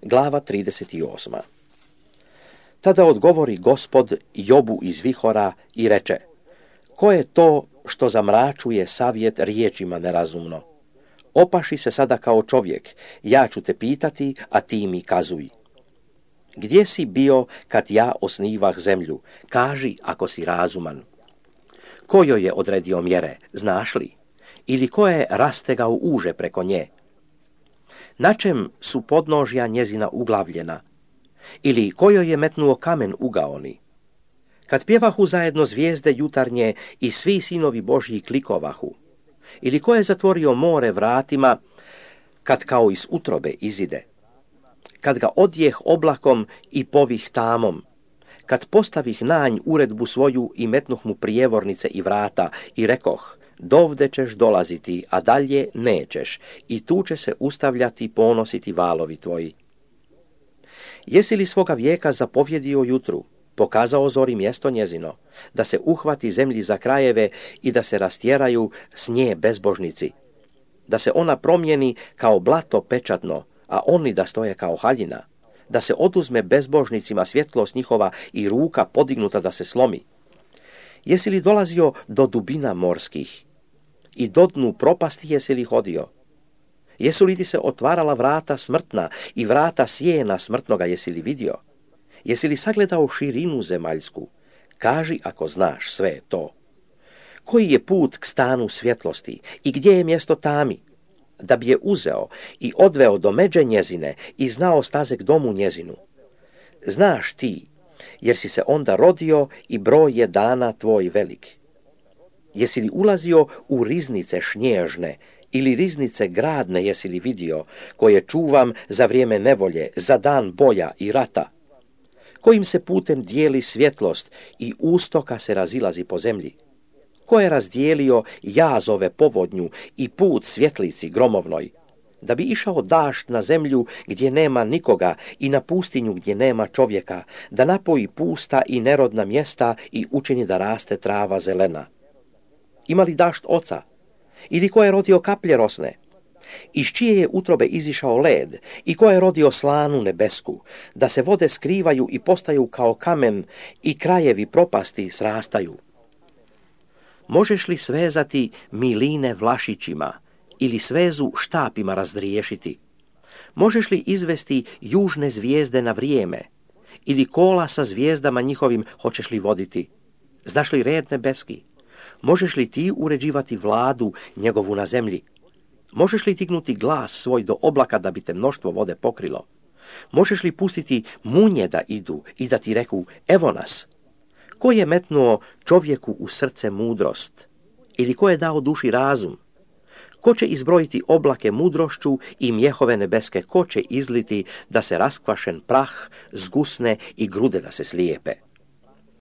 Glava 38. Tada odgovori Gospod Jobu iz vihora i reče: ko je to što zamračuje savjet riječima nerazumno? Opaši se sada kao čovjek, ja ću te pitati, a ti mi kazuj. Gdje si bio kad ja osnivah zemlju? Kaži ako si razuman. Ko joj je odredio mjere, znaš li? Ili ko je rastegao uže preko nje? Na čem su podnožja njezina uglavljena? Ili ko joj je metnuo kamen ugaoni? Kad pjevahu zajedno zvijezde jutarnje i svi sinovi Božji klikovahu? Ili ko je zatvorio more vratima, kad kao iz utrobe izide? Kad ga odjeh oblakom i povih tamom, kad postavih nanj uredbu svoju i metnuh mu prijevornice i vrata i rekoh: dovde ćeš dolaziti, a dalje nećeš, i tu će se ustavljati ponositi valovi tvoji. Jesi li svoga vijeka zapovjedio jutru, pokazao zori mjesto njezino, da se uhvati zemlji za krajeve i da se rastjeraju s nje bezbožnici, da se ona promijeni kao blato pečatno, a oni da stoje kao haljina, da se oduzme bezbožnicima svjetlost njihova i ruka podignuta da se slomi? Jesi li dolazio do dubina morskih i do dnu propasti jesi li hodio? Jesu li ti se otvarala vrata smrtna i vrata sjena smrtnoga jesi li vidio? Jesi li sagledao širinu zemaljsku? Kaži ako znaš sve to. Koji je put k stanu svjetlosti i gdje je mjesto tami? Da bi je uzeo i odveo do međe njezine i znao staze k domu njezinu. Znaš ti, jer si se onda rodio i broj je dana tvoj velik. Jesi li ulazio u riznice šnježne ili riznice gradne jesi li vidio, koje čuvam za vrijeme nevolje, za dan boja i rata? Kojim se putem dijeli svjetlost i ustoka se razilazi po zemlji? Ko je razdijelio jazove povodnju i put svjetlici gromovnoj, da bi išao dašt na zemlju gdje nema nikoga i na pustinju gdje nema čovjeka, da napoji pusta i nerodna mjesta i učini da raste trava zelena? Ima li dašt oca? Ili ko je rodio kaplje rosne? Iz čije je utrobe izišao led i ko je rodio slanu nebesku, da se vode skrivaju i postaju kao kamen i krajevi propasti srastaju? Možeš li svezati miline vlašićima ili svezu štapima razdriješiti? Možeš li izvesti južne zvijezde na vrijeme ili kola sa zvijezdama njihovim hoćeš li voditi? Znaš li red nebeski? Možeš li ti uređivati vladu njegovu na zemlji? Možeš li dignuti glas svoj do oblaka da bi te mnoštvo vode pokrilo? Možeš li pustiti munje da idu i da ti reku: evo nas? Ko je metnuo čovjeku u srce mudrost? Ili ko je dao duši razum? Ko će izbrojiti oblake mudrošću i mjehove nebeske? Ko će izliti da se raskvašen prah zgusne i grude da se slijepe?